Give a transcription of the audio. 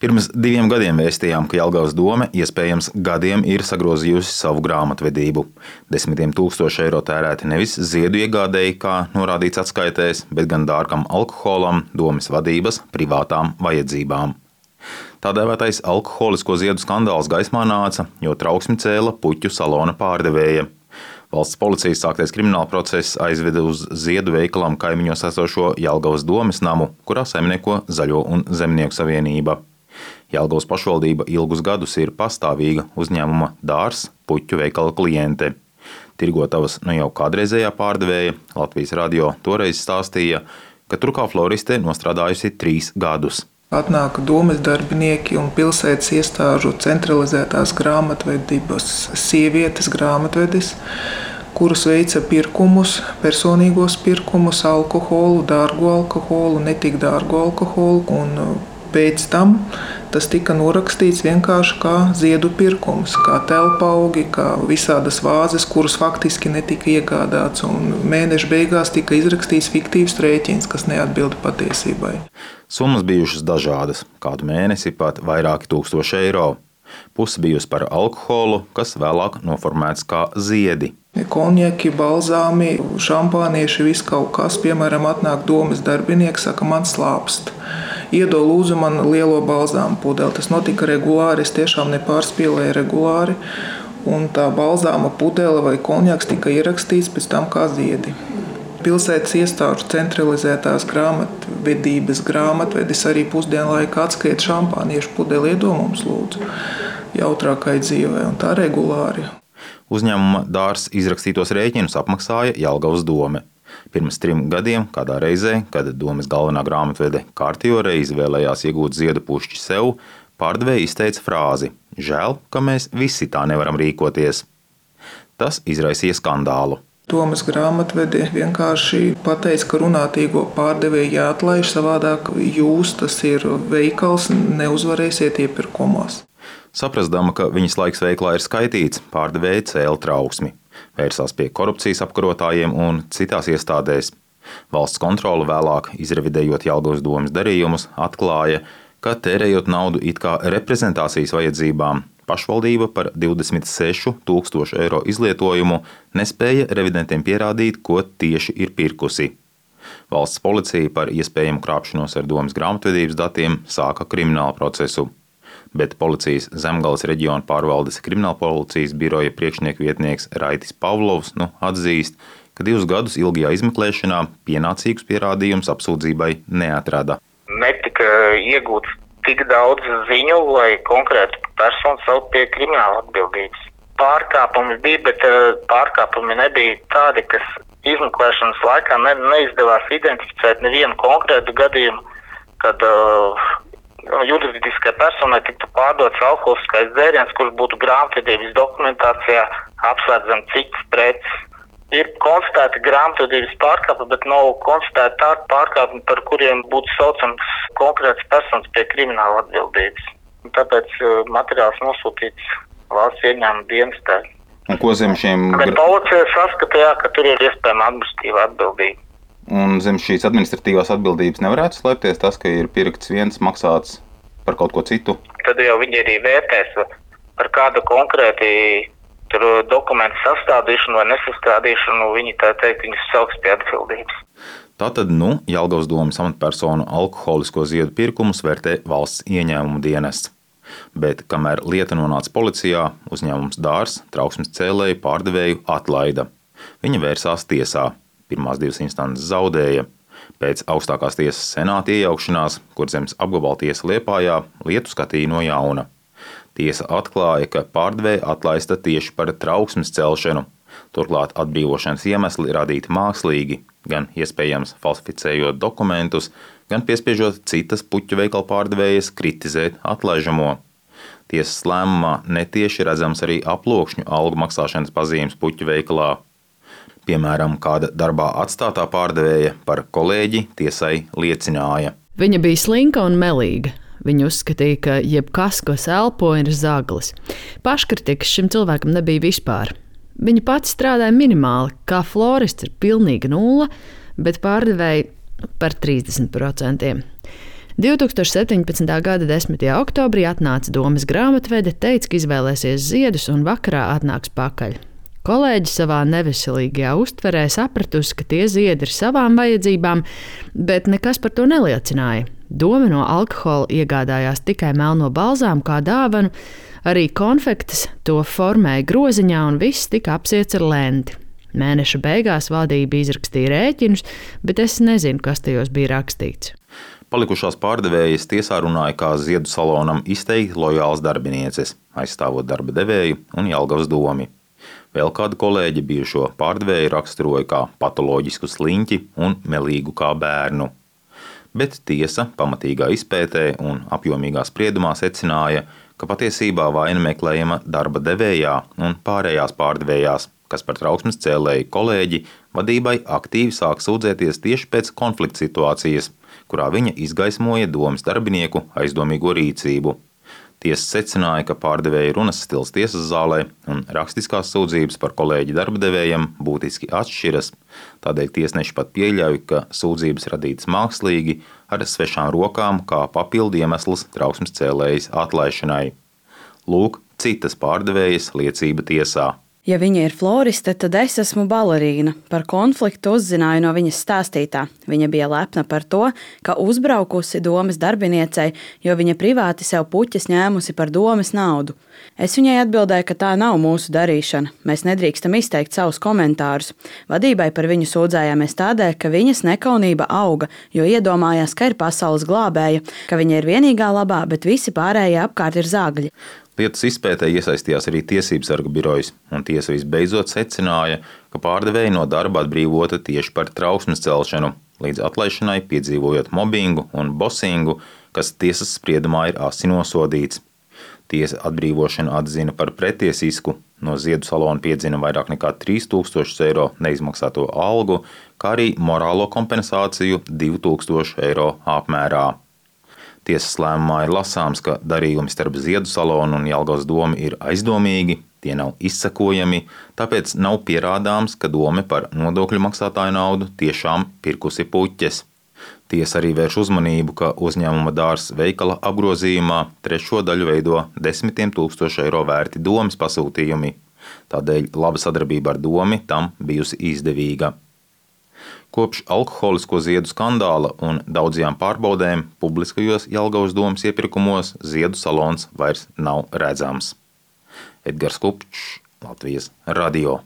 Pirms 2 gadiem vēstījām, ka Jelgavas dome iespējams gadiem ir sagrozījusi savu grāmatvedību. Desmitiem tūkstoši eiro tērēti nevis ziedu iegādēji, kā norādīts atskaitēs, bet gan dārgam alkoholam, domes vadības privātām vajadzībām. Tā dēvētais alkoholisko ziedu skandāls gaismā nāca, jo trauksmi cēla puķu salona pārdevēja. Valsts policijas sāktais krimināla process aizveda uz ziedu veikalam kaimiņos esošo Jelgavas domes namu, kurā saimnieko Zaļo un Zemnieku savienība. Jelgavas pašvaldība ilgus gadus ir pastāvīga uzņēmuma Dārs puķu veikala kliente. Tirgotavas jau kādreizējā pārdevēja Latvijas radio toreiz stāstīja, ka tur kā floriste nostrādājusi 3 gadus. Atnāk domes darbinieki un pilsētas iestāžu centralizētās grāmatvedības sievietes grāmatvedis, kuras veica pirkumus, personīgos pirkumus, alkoholu, dārgu alkoholu, netik dārgu alkoholu, un pēc tam tas tika norakstīts vienkārši kā ziedu pirkums, kā telpaugi, kā visādas vāzes, kuras faktiski netika iegādāts, un mēneša beigās tika izrakstīts fiktīvs rēķins, kas neatbilda patiesībai. Summas bijušas dažādas, kādu mēnesi pat vairāki tūkstoši eiro. Puse bijusi par alkoholu, kas vēlāk noformēts kā ziedi. Konjaki, balzāmi, šampānieši, viss kaut kas, piemēram, atnāk domes darbinieks, saka, man slāpst. Iedod lūdzu man lielo balzāmu pudeli. Tas notika regulāri, es tiešām nepārspīlēju regulāri. Un tā balzāma pudele vai konjaks tika ierakstīts pēc tam kā ziedi. Pilsētas iestāžu centralizētās grāmatvedības grāmatvedis arī pusdienlaika atskaita šampāniešu pudeli iedod mums lūdzu jautrākai dzīvē, un tā regulāri. Uzņēmuma Dārs izrakstītos rēķinus apmaksāja Jelgavas dome. Pirms 3 gadiem, kādā reizē, kad domes galvenā grāmatvede kārtējo reizi vēlējās iegūt ziedu pušķi sev, pārdevēja izteica frāzi: "Žēl, ka mēs visi tā nevaram rīkoties." Tas izraisīja skandālu. Domes grāmatvedi vienkārši pateica, ka runātīgo pārdevēju jāatlaiž, savādāk jūs, tas ir veikals, neuzvarēsiet iepirkumos. Saprastama, ka viņas laiks veiklā ir skaitīts, pārdevēja cēla trauksmi. Vērsās pie korupcijas apkarotājiem un citās iestādēs. Valsts kontrole vēlāk, izrevidējot Jelgavas domes darījumus, atklāja, ka tērējot naudu it kā reprezentācijas vajadzībām, pašvaldība par 26 000 eiro izlietojumu nespēja revidentiem pierādīt, ko tieši ir pirkusi. Valsts policija par iespējamu krāpšanos ar domes grāmatvedības datiem sāka kriminālu procesu. Bet policijas Zemgales reģiona pārvaldes kriminālpolicijas biroja priekšnieku vietnieks Raitis Pavlovs atzīst, ka 2 gadus ilgajā izmeklēšanā pienācīgus pierādījumus apsūdzībai neatrada. Netika iegūts tik daudz ziņu, lai konkrētu personu saukt pie krimināla atbildības. Pārkāpumi bija, bet pārkāpumi nebija tādi, kas izmeklēšanas laikā neizdevās identificēt nevienu konkrētu gadījumu, kad juridiskai personai tiktu pārdots alkoholiskais dzēriens, kurš būtu grāmatvedības dokumentācijā apslēdzam citas preces. Ir konstatēti grāmatvedības pārkāpumi, bet nav konstatēti tādi pārkāpumi, par kuriem būtu saucams konkrēts personas pie krimināla atbildības. Tāpēc materiāls nosūtīts valsts ieņēmuma dienestē. Un ko zem šiem... Bet policija saskatīja, ka tur ir iespējama administratīva atbildība. Un zem šīs administratīvās atbildības nevarētu slēpties tas, ka ir pirkts viens, maksāts par kaut ko citu? Tad jau viņi arī vērtēs par kādu konkrēti dokumentu sastādīšanu vai nesastādīšanu, viņi tā teikt, viņus sauks pie atbildības. Tātad, Jelgavas domes amatpersonu alkoholisko ziedu pirkumus vērtē valsts ieņēmuma dienests. Bet, kamēr lieta nonāca policijā, uzņēmums Dārs trauksmes cēlēju pārdevēju atlaida. Viņa vērsās tiesā. Pirmās 2 instances zaudēja. Pēc augstākās tiesas senāta iejaukšanās, Kurzemes apgabala tiesa Liepājā, lietu skatīja no jauna. Tiesa atklāja, ka pārdevēja atlaista tieši par trauksmes celšanu. Turklāt atbrīvošanas iemesli radīti mākslīgi, gan iespējams falsificējot dokumentus, gan piespiežot citas puķu veikala pārdevējas kritizēt atlaižamo. Tiesas lēmumā netieši redzams arī aploksņu algu maksāšanas pazīmes puķu veikalā. Piemēram, kāda darbā atstātā pārdevēja par kolēģi tiesai liecināja. Viņa bija slinka un melīga. Viņa uzskatīja, ka jebkas, ko elpo, ir zaglis. Paškritikas šim cilvēkam nebija vispār. Viņa pati strādāja minimāli, kā florists ir pilnīga nulle, bet pārdevēja par 30%. 2017. gada 10. oktobrī atnāca domes grāmatvede, teica, ka izvēlēsies ziedus un vakarā atnāks pakaļ. Kolēģi savā neveselīgajā uztverē sapratusi, ka tie ziedi ir savām vajadzībām, bet nekas par to neliecināja. Doma no alkohola iegādājās tikai melno balzāmu kā dāvanu, arī konfektes to formēja groziņā un viss tika apsiets ar lenti. Mēneša beigās valdība izrakstīja rēķinus, bet es nezinu, kas tajos bija rakstīts. Palikušās pārdevējas tiesā runāja kā ziedu salonam izteikti lojāls darbinieces, aizstāvot darba devēju un Jelgavas domi. Vēl kāda kolēģe bijušo pārdevēju raksturoja kā patoloģisku sliņķi un melīgu kā bērnu. Bet tiesa pamatīgā izpētē un apjomīgā spriedumā secināja, ka patiesībā vaina meklējama darba devējā un pārējās pārdevējās, kas par trauksmes cēlēju kolēģi vadībai aktīvi sāk sūdzēties tieši pēc konflikta situācijas, kurā viņa izgaismoja domes darbinieku aizdomīgo rīcību. Tiesa secināja, ka pārdevēja runas stils tiesas zālē un rakstiskās sūdzības par kolēģi darba devējiem būtiski atšķiras. Tādēļ tiesneši pat pieļauj, ka sūdzības radītas mākslīgi ar svešām rokām kā papildu iemesls trauksmes cēlējas atlaišanai. Lūk, citas pārdevējas liecība tiesā. Ja viņa ir floriste, tad es esmu balerīna. Par konfliktu uzzināju no viņas stāstītā. Viņa bija lepna par to, ka uzbraukusi domes darbiniecei, jo viņa privāti sev puķes ņēmusi par domes naudu. Es viņai atbildēju, ka tā nav mūsu darīšana. Mēs nedrīkstam izteikt savus komentārus. Vadībai par viņu sūdzējāmies tādēļ, ka viņas nekaunība auga, jo iedomājās, ka ir pasaules glābēja, ka viņa ir vienīgā labā, bet visi pārējie apkārt ir zagļi. Lietas izpētē iesaistījās arī tiesības sarga birojas, un tiesa visbeidzot secināja, ka pārdevēja no darba atbrīvota tieši par trauksmes celšanu, līdz atlaišanai piedzīvojot mobbingu un bosingu, kas tiesas spriedumā ir asi nosodīts. Tiesa atbrīvošanu atzina par pretiesisku, no ziedu salona piedzina vairāk nekā 3000 eiro neizmaksāto algu, kā arī morālo kompensāciju 2000 eiro apmērā. Tiesas lēmumā ir lasāms, ka darījumi starp ziedu salonu un Jelgavas domu ir aizdomīgi, tie nav izsekojami, tāpēc nav pierādāms, ka dome par nodokļu maksātāju naudu tiešām pirkusi puķes. Tiesa arī vērš uzmanību, ka uzņēmuma dārs veikala apgrozījumā trešo daļu veido 10 000 eiro vērti domes pasūtījumi. Tādēļ laba sadarbība ar domi tam bijusi izdevīga. Kopš alkoholisko ziedu skandāla un daudzajām pārbaudēm publiskajos Jelgavas domes iepirkumos ziedu salons vairs nav redzams. Edgars Kupčs, Latvijas radio.